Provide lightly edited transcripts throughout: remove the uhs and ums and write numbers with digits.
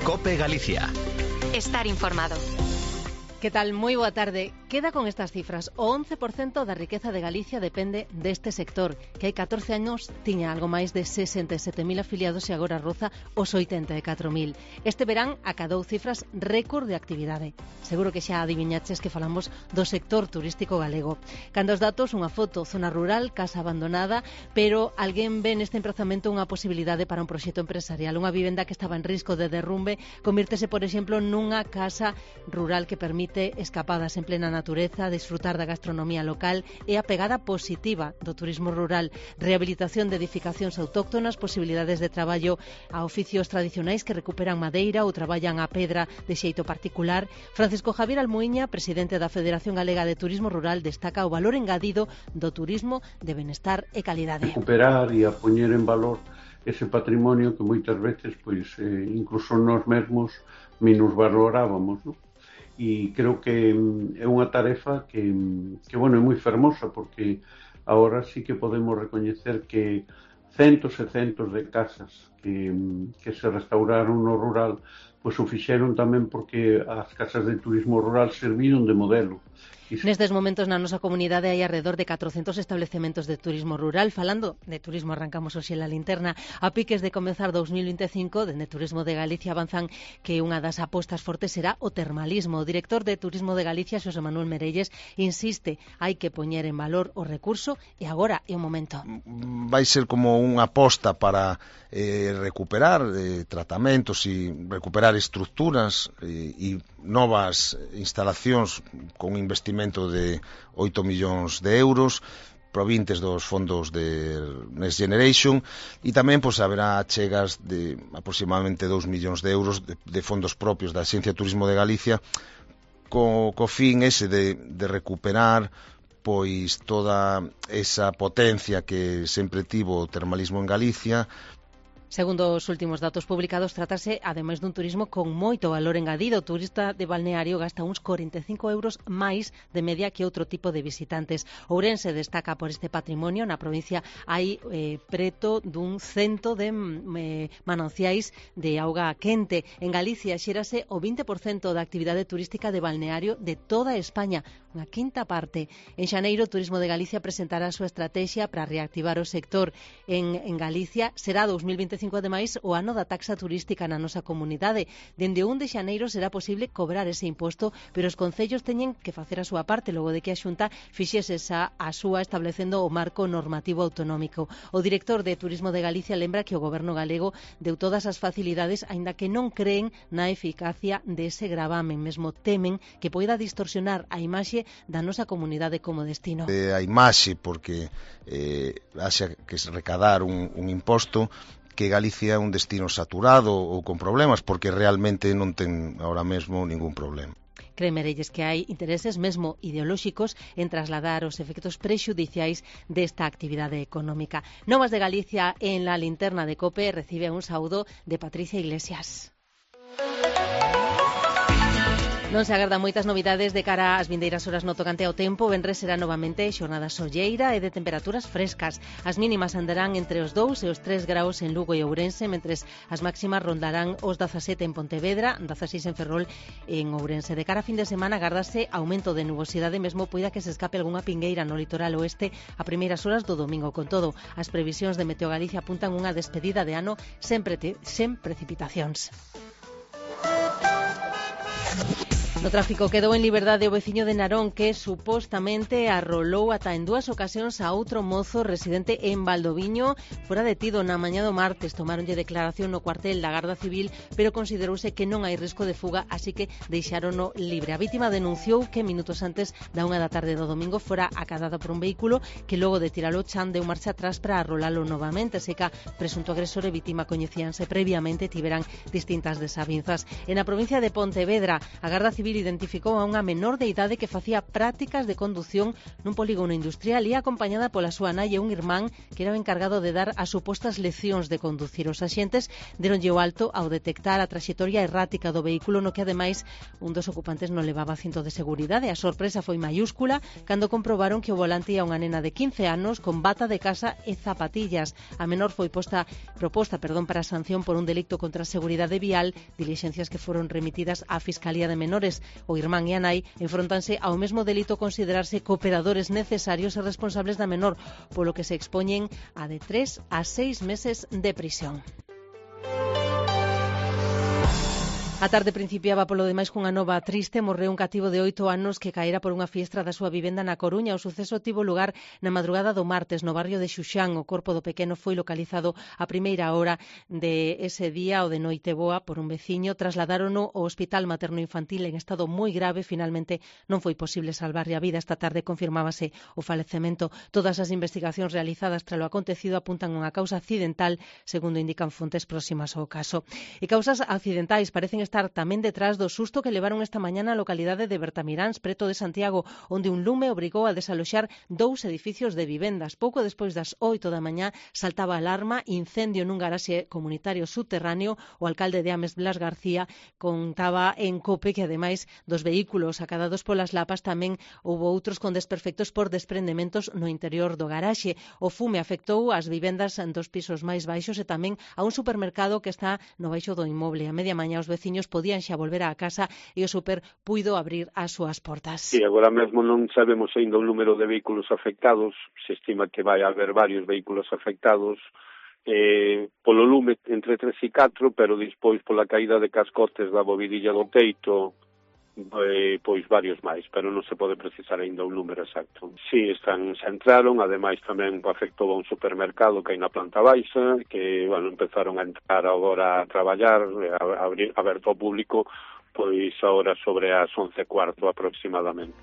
COPE Galicia. Estar informado. Que tal? Moi boa tarde. Queda con estas cifras. O 11% da riqueza de Galicia depende deste sector, que hai 14 anos tiña algo máis de 67.000 afiliados e agora roza os 84.000. Este verán acadou cifras récord de actividade. Seguro que xa adiviñaches que falamos do sector turístico galego. Cando os datos, unha foto, zona rural, casa abandonada, pero alguén ve neste emprazamento unha posibilidade para un proxecto empresarial. Unha vivenda que estaba en risco de derrumbe convírtese, por exemplo, nunha casa rural que permite escapadas en plena natureza, disfrutar da gastronomía local e a pegada positiva do turismo rural, rehabilitación de edificacións autóctonas, posibilidades de traballo a oficios tradicionais que recuperan madeira ou traballan a pedra de xeito particular. Francisco Javier Almuíña, presidente da Federación Galega de Turismo Rural, destaca o valor engadido do turismo de benestar e calidade. Recuperar e a poñer en valor ese patrimonio que moitas veces incluso nós mesmos minusvalorábamos, non? E creo que é unha tarefa que é moi fermosa, porque agora sí que podemos recoñecer que centos e centos de casas que se restauraron no rural, pois o fixeron tamén porque as casas de turismo rural serviron de modelo. Nestes momentos na nosa comunidade hai alrededor de 400 establecementos de turismo rural. Falando de turismo, arrancamos hoxe la linterna. A piques de comezar 2025, dende Turismo de Galicia avanzan que unha das apostas fortes será o termalismo. O director de Turismo de Galicia, Xosé Manuel Merelles, insiste, hai que poñer en valor o recurso e agora é o momento. Vai ser como unha aposta para recuperar tratamentos e recuperar estructuras e novas instalacións con investimento de 8 millóns de euros provintes dos fondos de Next Generation, e tamén haberá chegas de aproximadamente 2 millóns de euros de fondos propios da Axencia de Turismo de Galicia co fin ese de recuperar pois toda esa potencia que sempre tivo o termalismo en Galicia. Segundo os últimos datos publicados, trátase, ademais dun turismo con moito valor engadido. O turista de balneario gasta uns 45 euros máis de media que outro tipo de visitantes. Ourense destaca por este patrimonio. Na provincia hai preto dun 100 de mananciais de auga quente. En Galicia xérase o 20% da actividade turística de balneario de toda España, unha quinta parte. En xaneiro, o Turismo de Galicia presentará a súa estrategia para reactivar o sector. En Galicia será 2025 ademais o ano da taxa turística na nosa comunidade. Dende o 1 de xaneiro será posible cobrar ese imposto, pero os concellos teñen que facer a súa parte logo de que a Xunta fixese a súa establecendo o marco normativo autonómico. O director de Turismo de Galicia lembra que o goberno galego deu todas as facilidades, aínda que non creen na eficacia dese gravamen, mesmo temen que poida distorsionar a imaxe da nosa comunidade como destino. A imaxe, porque haxa que recadar un imposto, que Galicia é un destino saturado ou con problemas, porque realmente non ten ahora mesmo ningún problema. Cree Merelles que hai intereses mesmo ideolóxicos en trasladar os efectos prexudiciais desta actividade económica. Novas de Galicia en la linterna de COPE recibe un saúdo de Patricia Iglesias. Non se agardan moitas novidades de cara ás vindeiras horas no tocante ao tempo. Venres será novamente xornada solleira e de temperaturas frescas. As mínimas andarán entre os 2 e os 3 graus en Lugo e Ourense, mentres as máximas rondarán os 17 en Pontevedra, 16 en Ferrol e en Ourense. De cara a fin de semana agardase aumento de nubosidade, mesmo poida que se escape algunha pingueira no litoral oeste a primeiras horas do domingo. Con todo, as previsións de Meteo Galicia apuntan unha despedida de ano sen precipitacións. No tráfico quedou en liberdade o veciño de Narón que supostamente arrolou ata en 2 ocasións a outro mozo residente en Valdoviño. Fora detido na mañá do martes, tomáronlle declaración no cuartel da Garda Civil, pero considerouse que non hai risco de fuga, así que deixárono libre. A vítima denunciou que minutos antes da 1 da tarde do domingo fora acadada por un vehículo que logo de tiralo chan deu marcha atrás para arrolalo novamente. Seca, presunto agresor e vítima coñecíanse previamente, tiveran distintas desavinzas. En a provincia de Pontevedra, a Garda Civil Civil identificou a unha menor de idade que facía prácticas de condución nun polígono industrial e acompañada pola súa nai e un irmán que era o encargado de dar as supostas leccións de conducir. Os axentes deronlle o alto ao detectar a traxectoria errática do vehículo, no que ademais un dos ocupantes non levaba cinto de seguridade. A sorpresa foi maiúscula cando comprobaron que o volante ia unha nena de 15 anos con bata de casa e zapatillas. A menor foi proposta para sanción por un delito contra a seguridade vial, dilixencias que foron remitidas á Fiscalía de Menores. O irmán e a nai enfrontanse ao mesmo delito considerarse cooperadores necesarios e responsables da menor, polo que se expoñen a de 3 a 6 meses de prisión. A tarde principiaba polo demais cunha nova triste. Morreu un cativo de 8 anos que caera por unha fiestra da súa vivenda na Coruña. O suceso tivo lugar na madrugada do martes no barrio de Xuxán. O corpo do pequeno foi localizado a primeira hora de ese día, o de Noiteboa, por un veciño. Trasladárono ao Hospital Materno-Infantil en estado moi grave. Finalmente non foi posible salvarlle a vida. Esta tarde confirmábase o falecemento. Todas as investigacións realizadas tras o acontecido apuntan a unha causa accidental, segundo indican fontes próximas ao caso. E causas accidentais parecen estar tamén detrás do susto que levaron esta mañá na localidade de Bertamiráns, preto de Santiago, onde un lume obrigou a desaloxar 2 edificios de vivendas. Pouco despois das 8 da mañá saltaba a alarma, incendio nun garaxe comunitario subterráneo. O alcalde de Ames, Blas García, contaba en COPE que ademais dos vehículos acadados polas lapas tamén houbo outros con desperfectos por desprendementos no interior do garaxe. O fume afectou as vivendas dos pisos máis baixos e tamén a un supermercado que está no baixo do inmoble. A media mañá os veciños podían xa volver á casa e o super puido abrir as súas portas. Sí, agora mesmo non sabemos ainda o número de vehículos afectados. Se estima que vai haber varios vehículos afectados polo lume entre 3 e 4, pero despois pola caída de cascotes da bovidilla do teito, pois varios máis, pero non se pode precisar ainda un número exacto. Si, xa entraron, ademais tamén afectou a un supermercado que hai na planta baixa, que, empezaron a entrar agora a traballar, aberto ao público, pois agora sobre as 11:15 aproximadamente.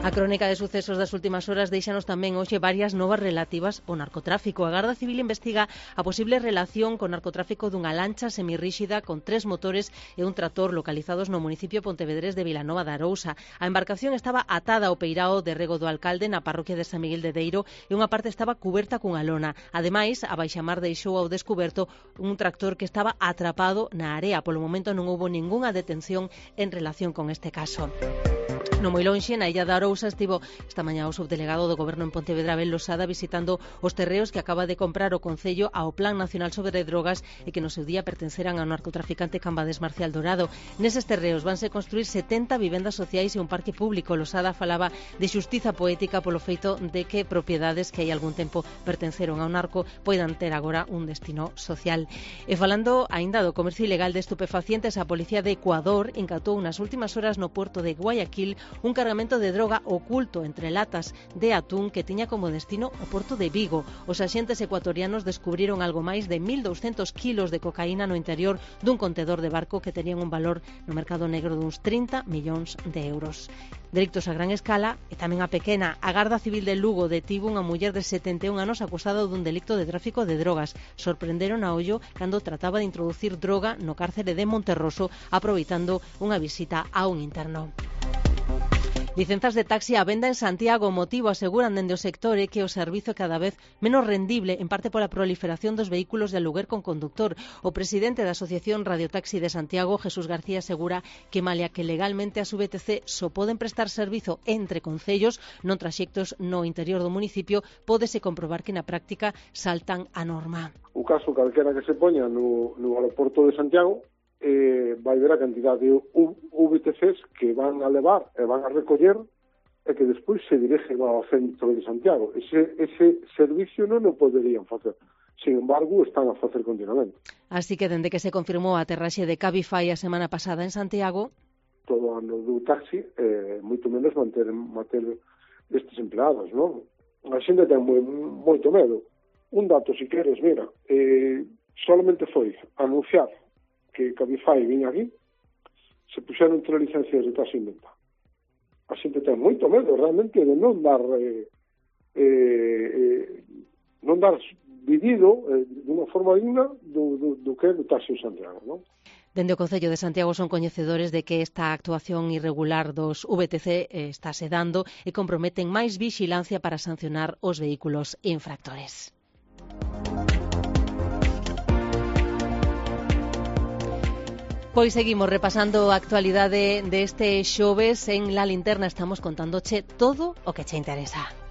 A crónica de sucesos das últimas horas deixanos tamén hoxe varias novas relativas ao narcotráfico. A Garda Civil investiga a posible relación con narcotráfico dunha lancha semirríxida con 3 motores e un tractor localizados no municipio pontevedrés de Vilanova de Arousa. A embarcación estaba atada ao peirao de rego do alcalde na parroquia de San Miguel de Deiro e unha parte estaba cuberta cunha lona. Ademais, a baixamar deixou ao descuberto un tractor que estaba atrapado na area. Polo momento non houbo ningunha detención en relación con este caso. No moi lonxe, na illa de Arousa, estivo esta mañá o subdelegado do Goberno en Pontevedra, Abel Losada, visitando os terreos que acaba de comprar o Concello ao Plan Nacional sobre Drogas e que no seu día pertenceran ao narcotraficante Cambades Marcial Dorado. Neses terreos vanse construir 70 vivendas sociais e un parque público. Losada falaba de xustiza poética polo feito de que propiedades que hai algún tempo pertenceron ao narco poidan ter agora un destino social. E falando aínda do comercio ilegal de estupefacientes, a Policía de Ecuador incatou nas últimas horas no porto de Guayaquil un cargamento de droga oculto entre latas de atún que tiña como destino o porto de Vigo. Os axentes ecuatorianos descubriron algo máis de 1.200 kilos de cocaína no interior dun contedor de barco que tenían un valor no mercado negro duns 30 millóns de euros. Delictos a gran escala e tamén a pequena. A Garda Civil de Lugo detivo unha muller de 71 anos acusada dun delicto de tráfico de drogas. Sorprenderon a ollo cando trataba de introducir droga no cárcere de Monterroso, aproveitando unha visita a un interno. Licenzas de taxi á venda en Santiago. O motivo, aseguran dende o sector, é que o servizo é cada vez menos rendible, en parte pola proliferación dos vehículos de aluguer con conductor. O presidente da Asociación Radiotaxi de Santiago, Jesús García, asegura que malia que legalmente as VTC só poden prestar servizo entre concellos, non traxectos no interior do municipio, pódese comprobar que na práctica saltan a norma. O caso calquera que se poña no aeroporto de Santiago, vai ver a cantidad de VTCs que van a levar e van a recoller e que despois se dirigen ao centro de Santiago. Ese servicio non o poderían facer. Sin embargo, están a facer continuamente. Así que, dende que se confirmou a aterraxe de Cabify a semana pasada en Santiago, todo ano do taxi, moito menos manter estes empleados, non? A xente ten moito medo. Un dato, se queres, mira, solamente foi anunciar que Cabify viña aquí, se puxeron 3 licencias de taxi en venta. A xente ten moito medo realmente de non dar vivido dunha forma digna do que é o taxi en Santiago, non? Dende o Concello de Santiago son coñecedores de que esta actuación irregular dos VTC estáse dando e comprometen máis vixilancia para sancionar os vehículos infractores. Pois seguimos repasando a actualidade deste xoves. En La Linterna estamos contándoche todo o que che interesa.